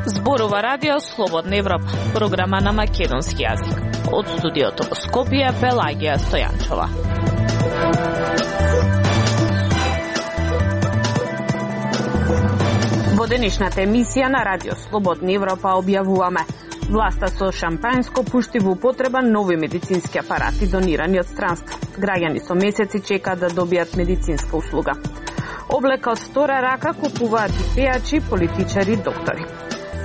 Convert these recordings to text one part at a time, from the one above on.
Зборува радио Слободна Европа, програма на македонски јазик. Од студиото во Скопје, Пелагија Стојанчова. Во денешната емисија на радио Слободна Европа објавуваме: власта со шампањско пушти во употреба нови медицински апарати донирани од странство. Граѓани со месеци чекаат да добијат медицинска услуга. Облека од втора рака купуваат и пејачи, политичари и доктори.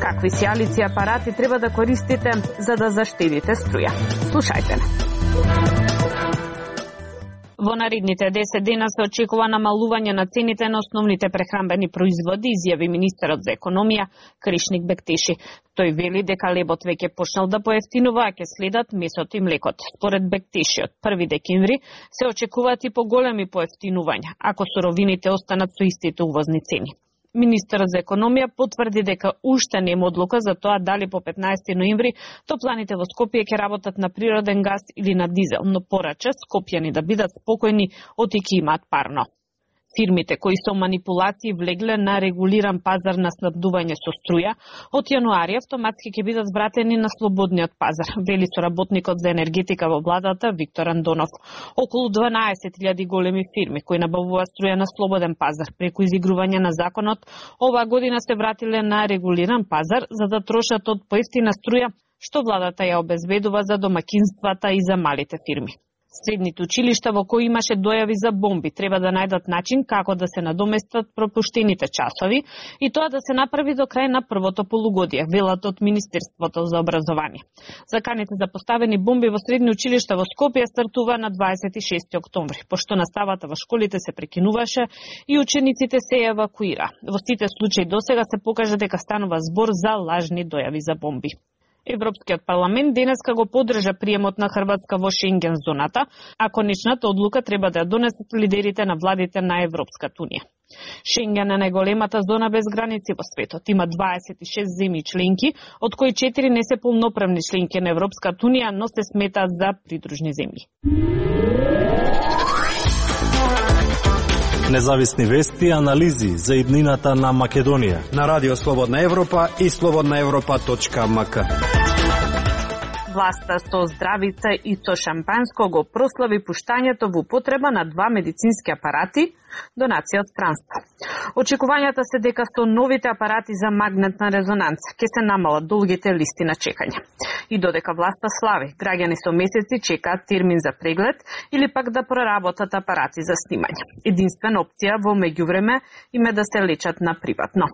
Какви сијалици апарати треба да користите за да заштедите струја? Слушајте не. Во наредните 10 дена се очекува намалување на цените на основните прехранбени производи, изјави министерот за економија Кришник Бектиши. Тој вели дека лебот веќе почнал да поевтинува, а ќе следат месото и млекот. Според Бектиши, од 1 декември се очекуваат и поголеми поевтинувања, ако суровините останат со истите увозни цени. Министерот за економија потврди дека уште нема одлука за тоа дали по 15 ноември топланите во Скопје ќе работат на природен газ или на дизел, но порача скопјани да бидат спокојни оти ќе имаат парно. Фирмите кои со манипулации влегле на регулиран пазар на снабдување со струја, од јануари автоматски ќе бидат вратени на слободниот пазар, вели соработникот за енергетика во владата Виктор Андонов. Околу 12.000 големи фирми кои набавуваат струја на слободен пазар преку изигрување на законот, оваа година се вратиле на регулиран пазар за да трошат од поевтина струја, што владата ја обезбедува за домакинствата и за малите фирми. Средните училишта во кои имаше дојави за бомби треба да најдат начин како да се надоместат пропуштените часови и тоа да се направи до крај на првото полугодие, велат од Министерството за образование. Заканите за поставени бомби во средни училишта во Скопје стартува на 26 октомври, пошто наставата во школите се прекинуваше и учениците се евакуира. Во сите случаи досега се покажа дека станува збор за лажни дојави за бомби. Европскиот парламент денеска го поддржа приемот на Хрватска во Шенген зоната, а конечната одлука треба да ја донесат лидерите на владите на Европската унија. Шенген е најголемата зона без граници во светот. Има 26 земји членки, од кои 4 не се полноправни членки на Европската унија, но се сметаат за придружни земји. Независни вести и анализи за иднината на Македонија на Радио Слободна Европа и slobodnaevropa.mk. Власта со здравица и со шампањско го прослави пуштањето во употреба на 2 медицински апарати, донација од странство. Очекувањата се дека со новите апарати за магнетна резонанца ќе се намалат долгите листи на чекање. И додека власта слави, граѓани со месеци чекаат термин за преглед или пак да проработат апарати за снимање. Единствена опција во меѓувреме им е да се лечат на приватно.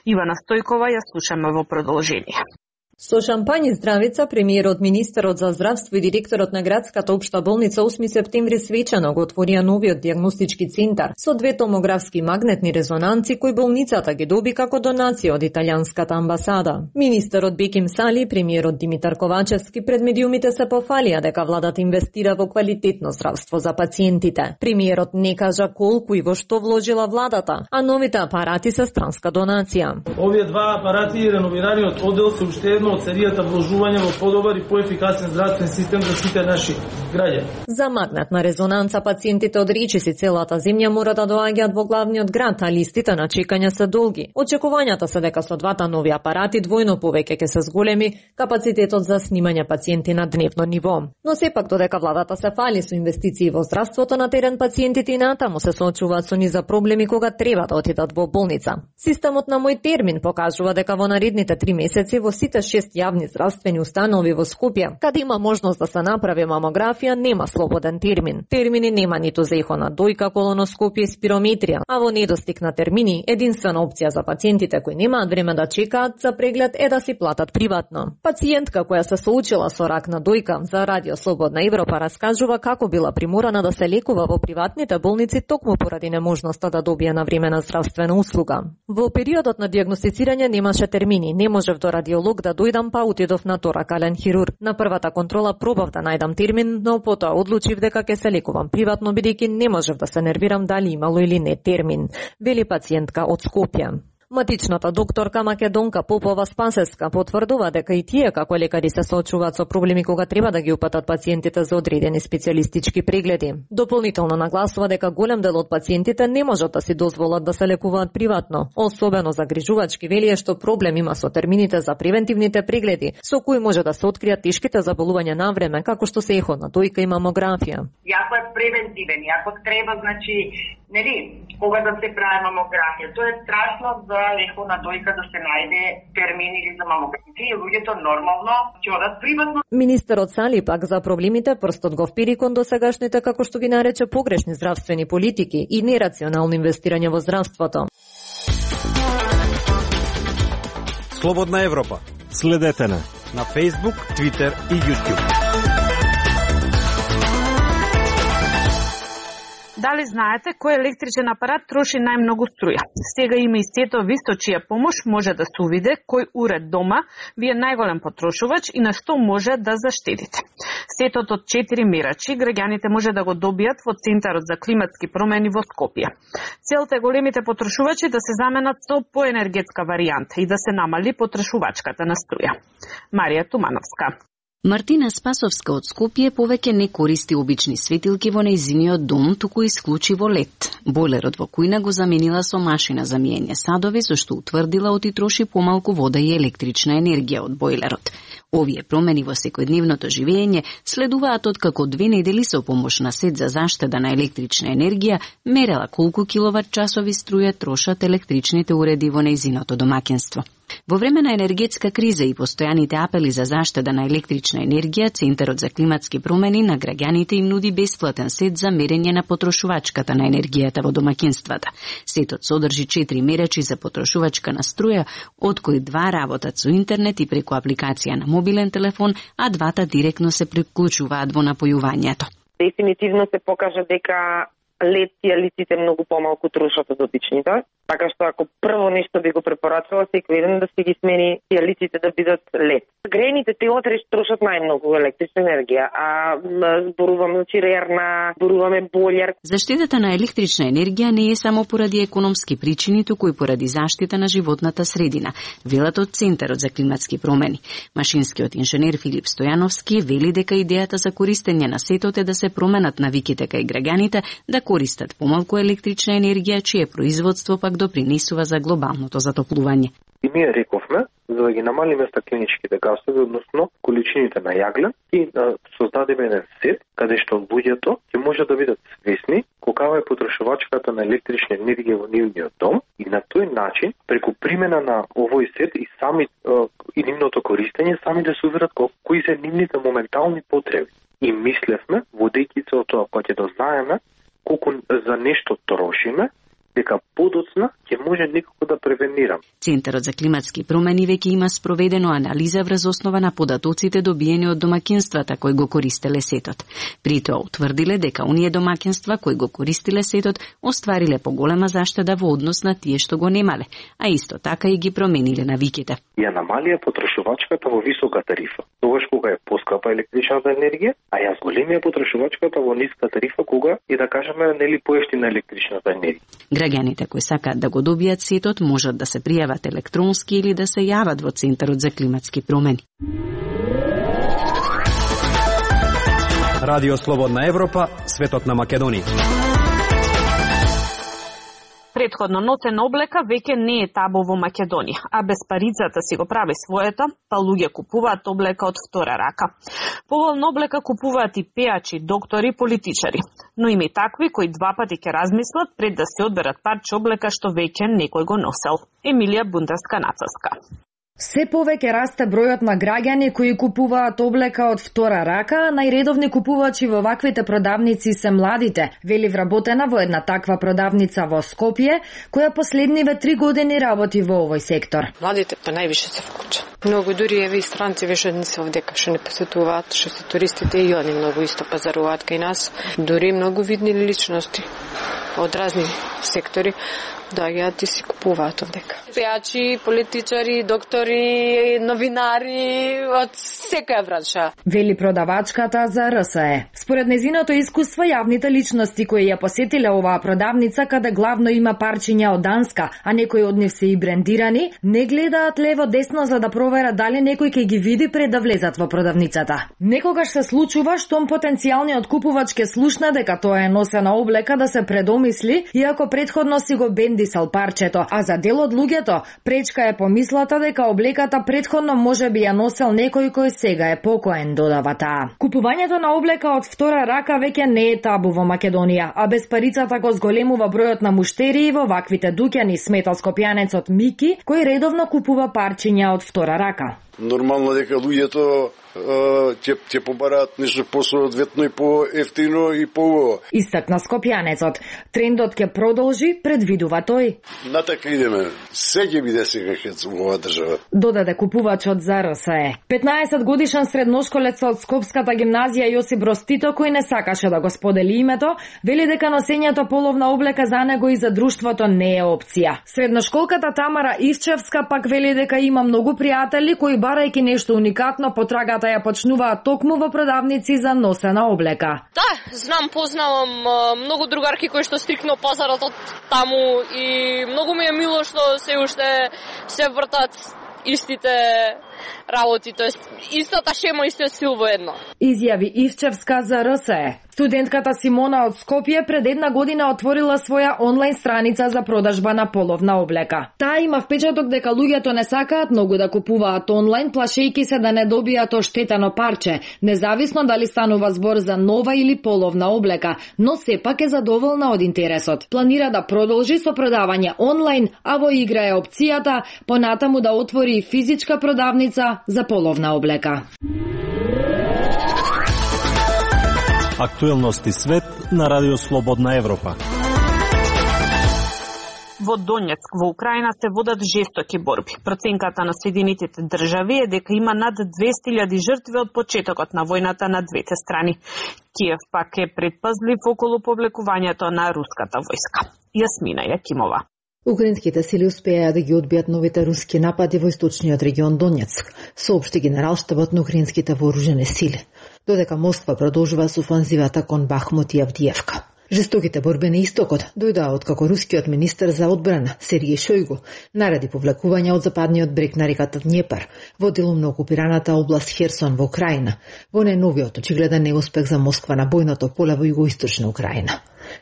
Ивана Стојкова ја слушаме во продолжение. Со шампањ и здравица, премиерот, министерот за здравство и директорот на градската општа болница 8 септември свечано го отворија новиот дијагностички центар со 2 томографски магнетни резонанци кои болницата ги доби како донација од италијанската амбасада. Министерот Беким Сали и премиерот Димитар Ковачевски пред медиумите се пофалија дека владата инвестира во квалитетно здравство за пациентите. Премиерот не кажа колку и во што вложила владата, а новите апарати се странска донација. Овие 2 апарати и реновираниот одел се уште едно од серијата вложување во подобар и поефикасен здравствен систем за сите наши граѓани. За магнетна резонанца пациентите од речиси целата земја мора да доаѓаат во главниот град, а листите на чекање се долги. Очекувањата се дека со 2 нови апарати двојно повеќе ќе се зголеми капацитетот за снимање пациенти на дневно ниво. Но сепак додека владата се фали со инвестиции во здравството, на терен пациентите и натаму се соочуваат со низа проблеми кога треба да отидат во болница. Системот на Мој термин покажува дека во наредните 3 месеци во сите 6 јавни здравствени установи во Скопје, каде има можност да се направи мамографија, нема слободен термин. Термини нема ниту за ехона дојка, колоноскопија и спирометрија, а во недостиг на термини, единствена опција за пациентите кои немаат време да чекаат за преглед е да си платат приватно. Пациентка која се соочила со рак на дојка за Радио Слободна Европа раскажува како била приморана да се лекува во приватните болници токму поради неможноста да добие навремена здравствена услуга. Во периодот на дијагностицирање немаше термини, не можев до радиолог да дојдам, па отидов на торакален хирург. На првата контрола пробав да најдам термин, но потоа одлучив дека ќе се лекувам приватно бидејќи не можев да се нервирам дали имало или не термин, вели пациентка од Скопје. Матичната докторка Македонка Попова Спасеска потврдува дека и тие како лекари се соочуваат со проблеми кога треба да ги упатат пациентите за одредени специјалистички прегледи. Дополнително нагласува дека голем дел од пациентите не можат да си дозволат да се лекуваат приватно. Особено загрижувачки велие што проблем има со термините за превентивните прегледи, со кои може да се откријат тешките заболувања на време, како што се еходна дојка и мамографија. Јако е превентивен, јако треба, значи, нели, кога да се прави мамографија, тоа е страшно за еходна дојка да се најде термин или за мамографија, и луѓето нормално ќе одат приватно. Министерот Сали пак за проблемите прстот го впири кон досегашните, како што ги нарече, погрешни здравствени политики и нерационално инвестирање во здравството. Слободна Европа. Следете на Facebook, Twitter и YouTube. Дали знаете кој електричен апарат троши најмногу струја? Сега има и сето ви со чија помош може да се увиде кој уред дома ви е најголем потрошувач и на што може да заштедите. Сетот од 4 мерачи граѓаните може да го добијат во Центарот за климатски промени во Скопје. Целта е големите потрошувачи да се заменат со поенергетска варијанта и да се намали потрошувачката на струја. Марија Тумановска. Мартина Спасовска од Скопје повеќе не користи обични светилки во нејзиниот дом, туку исклучиво лед. Бойлерот во кујна го заменила со машина за миење садови, зашто утврдила оти троши помалку вода и електрична енергија од бойлерот. Овие промени во секојдневното живење следуваат откако 2 недели со помош на сет за заштеда на електрична енергија мерела колку киловат часови струја трошат електричните уреди во нејзиното домаќинство. Во време на енергетска криза и постојаните апели за заштеда на електрична енергија, Центарот за климатски промени на граѓаните им нуди бесплатен сет за мерење на потрошувачката на енергијата во домаќинствата. Сетот содржи 4 мерачи за потрошувачка на струја, од кои 2 работат со интернет и преку апликација на мобилен телефон, а 2 директно се приклучуваат во напојувањето. Дефинитивно се покажа дека лед сијалиците многу помалку трошат од обичните, така што ако прво нешто би го препорачала секој ден да си ги смени сијалиците да бидат лед. Грејните телотри трошат најмногу електрична енергија, а зборуваме за чирерна, зборуваме бољар. Заштедата на електрична енергија не е само поради економски причини, туку и поради заштита на животната средина, велат од Центарот за климатски промени. Машинскиот инженер Филип Стојановски вели дека идејата за користење на сетот е да се променат навиките кај граѓаните да користат помалку електрична енергија, чие производство пак допринесува за глобалното затоплување. И ние рековме, за да ги намалиме стакленичките гасови, односно количините на јаглен, и создадеме еден сет, каде што луѓето ќе може да бидат свесни колкава е потрошувачката на електрична енергија во нивниот дом, и на тој начин, преку примена на овој сет и сами и нивното користење, сами да се уверат кои се нивните моментални потреби. И мислевме, водејќи се од тоа, кога ќе дознаеме колку за нешто трошиме, дека подоцна ќе може некако да превенирам. Центарот за климатски промени веќе има спроведено анализа врз основа на податоците добиени од домаќинствата кои го користеле сетот. При тоа утврдиле дека оние домаќинства кои го користиле сетот оствариле поголема заштеда во однос на тие што го немале, а исто така и ги промениле навиките. Ја намалија потрошувачката во висока тарифа, тогаш кога е поскапа електричната енергија, а ја зголемија потрошувачката во ниска тарифа кога и да кажеме нели поевтина електричната енергија. Граѓаните кои сакаат да го добијат сетот можат да се пријават електронски или да се јават во Центарот за климатски промени. Радио Слободна Европа, светот на Македонија. Претходно ноцена облека веќе не е табу во Македонија, а без парицата си го прави своето, па луѓе купуваат облека од втора рака. Поволна облека купуваат и пејачи, доктори, политичари, но има и такви кои 2 пати ќе размислат пред да се одберат парче облека што веќе некој го носел. Емилија Бунтарска-Нацовска. Се повеќе расте бројот на граѓани кои купуваат облека од втора рака, најредовни купувачи во ваквите продавници се младите, вели вработена во една таква продавница во Скопје, која последниве 3 години работи во овој сектор. Младите па највише се вклучат. Многу дури еве и странци веќе не се овдека, што не посетуваат, што се туристите и они многу исто пазаруваат кај нас, дури многу видни личности. од разни сектори доаѓаат и си купуваат овдека. Пејачи, политичари, доктори, новинари, од секоја бранша. Вели продавачката за РСЕ. Според незиното искуство, јавните личности кои ја посетиле оваа продавница, каде главно има парчиња од Данска, а некои од нив се и брендирани, не гледаат лево-десно за да проверат дали некој ќе ги види пред да влезат во продавницата. Некогаш се случува штом потенцијалниот купувач ке слушна дека тоа е носена облека да се предомисли, иако претходно си го бендисал парчето, а за дел од луѓето пречка е помислата дека облеката претходно можеби ја носел некој кој сега е покоен, додава таа. Купувањето на облека од втора рака веќе не е табу во Македонија, а без парицата го зголемува бројот на муштерии во ваквите дуќани, смета скопјанецот Мики, кој редовно купува парчиња од втора рака. Нормално дека луѓето ќе побараат нешто посоодветно и поевтино и по. Истакна скопјанецот. Трендот ќе продолжи, предвидува тој. Натака идеме. Се ќе биде сега хец во оваа држава. Додаде купувачот за РСЕ. 15 годишен средношколец од Скопската гимназија Јосип Ростито, кој не сакаше да го сподели името, вели дека носењето половна облека за него и за друштвото не е опција. Средношколката Тамара Ивчевска пак вели дека има многу пријатели кои барајќи нешто уникатно потрагата ја почнуваат токму во продавници за носена облека. Да, знам, познавам многу другарки кои што стрикно пазарат од таму и многу ми е мило што се уште се вртат истите работи, тоест истата шема, истиот стил во едно. Изјави Ивчевска за РСЕ. Студентката Симона од Скопје пред една година отворила своја онлайн страница за продажба на половна облека. Таа има впечаток дека луѓето не сакаат многу да купуваат онлайн, плашејќи се да не добијат оштетено парче, независно дали станува збор за нова или половна облека, но сепак е задоволна од интересот. Планира да продолжи со продавање онлайн, а во игра е опцијата понатаму да отвори физичка продавница за половна облека. Актуелности свет на Радио Слободна Европа. Во Донецк, во Украина, се водат жестоки борби. Проценката на Соединетите држави е дека има над 200.000 жртви од почетокот на војната на двете страни. Киев пак е предпазлив околу повлекувањето на руската војска. Јасмина Јакимова. Украинските сили успеа да ги одбијат новите руски напади во источниот регион Донецк, соопшти генералштабот на украинските вооружени сили, додека Москва продолжува со офанзивата кон Бахмут и Авдиевка. Жестоките борби на истокот дојдоа откако рускиот министер за одбрана Сергеј Шојгу нареди повлекување од западниот брег на реката Днепар во делумно окупираната област Херсон во Украина, во најновиот очигледен неуспех за Москва на бојното поле во југоисточна Украина.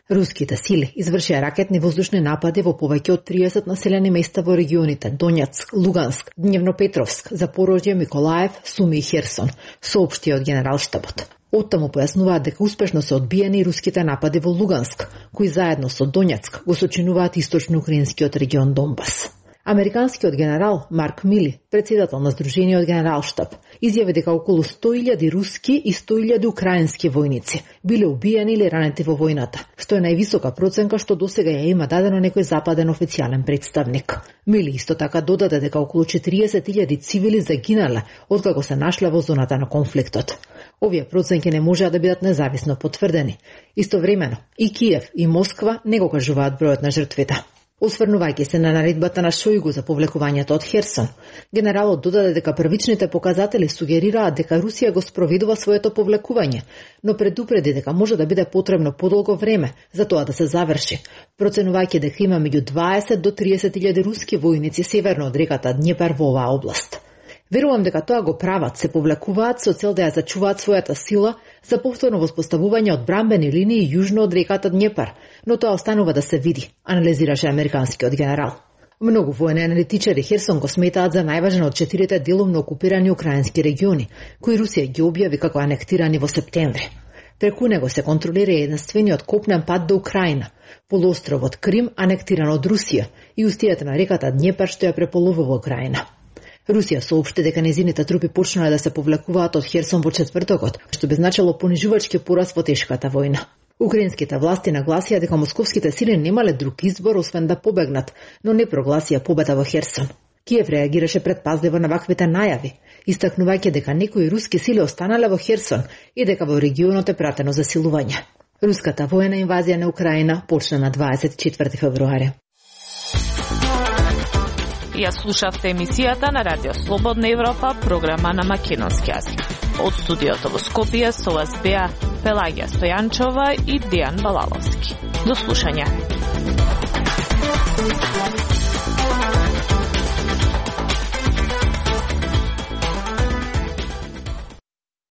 Руските сили извршија ракетни воздушни напади во повеќе од 30 населени места во регионите Донецк, Луганск, Дневнопетровск, Запорожје, Миколаев, Суми и Херсон, соопшти од генералштабот. Оттаму појаснуваат дека успешно се одбиени руските напади во Луганск, кои заедно со Донецк го сочинуваат источно-украинскиот регион Донбас. Американскиот генерал Марк Мили, председател на Сдружениот генералштаб, изјави дека околу 100.000 руски и 100.000 украински војници биле убиени или ранети во војната, што е највисока проценка што досега ја има дадено некој западен официјален представник. Мили исто така додаде дека околу 40.000 цивили загинале откако се нашле во зоната на конфликтот. Овие проценки не можеа да бидат независно потврдени. Истовремено, и Киев и Москва не го кажуваат бројот на жртвите. Осврнувајќи се на наредбата на Шојгу за повлекувањето од Херсон, генералот додаде дека првичните показатели сугерираат дека Русија го спроведува своето повлекување, но предупреди дека може да биде потребно подолго време за тоа да се заврши, проценувајќи дека има меѓу 20 до 30.000 руски војници северно од реката Днепар во оваа област. Верувам дека тоа го прават, се повлекуваат со цел да ја зачуваат својата сила за повторно воспоставување одбранбени линии јужно од реката Днепар, но тоа останува да се види, анализираше американскиот генерал. Многу воени аналитичари Херсон го сметаат за најважен од 4 делумно окупирани украински региони, кои Русија ги објави како анектирани во септември. Преку него се контролира единствениот копнен пат до Украина, полуостровот Крим анектиран од Русија и устијата на реката Днепар што ја преполувува Украина. Русија соопшти дека незините трупи почнале да се повлекуваат од Херсон во четвртокот, што би значило понижувачки пораз во тешката војна. Украинските власти нагласија дека московските сили немале друг избор освен да побегнат, но не прогласија победа во Херсон. Киев реагираше предпазливо на ваквите најави, истакнувајќи дека некои руски сили останале во Херсон и дека во регионот е пратено засилување. Руската воена инвазија на Украина почна на 24 февруари. Ја слушавте емисијата на Радио Слободна Европа, програма на македонски јазик. Од студиото во Скопје со вас беа Пелагија Стојанчова и Дијан Балаловски. До слушање.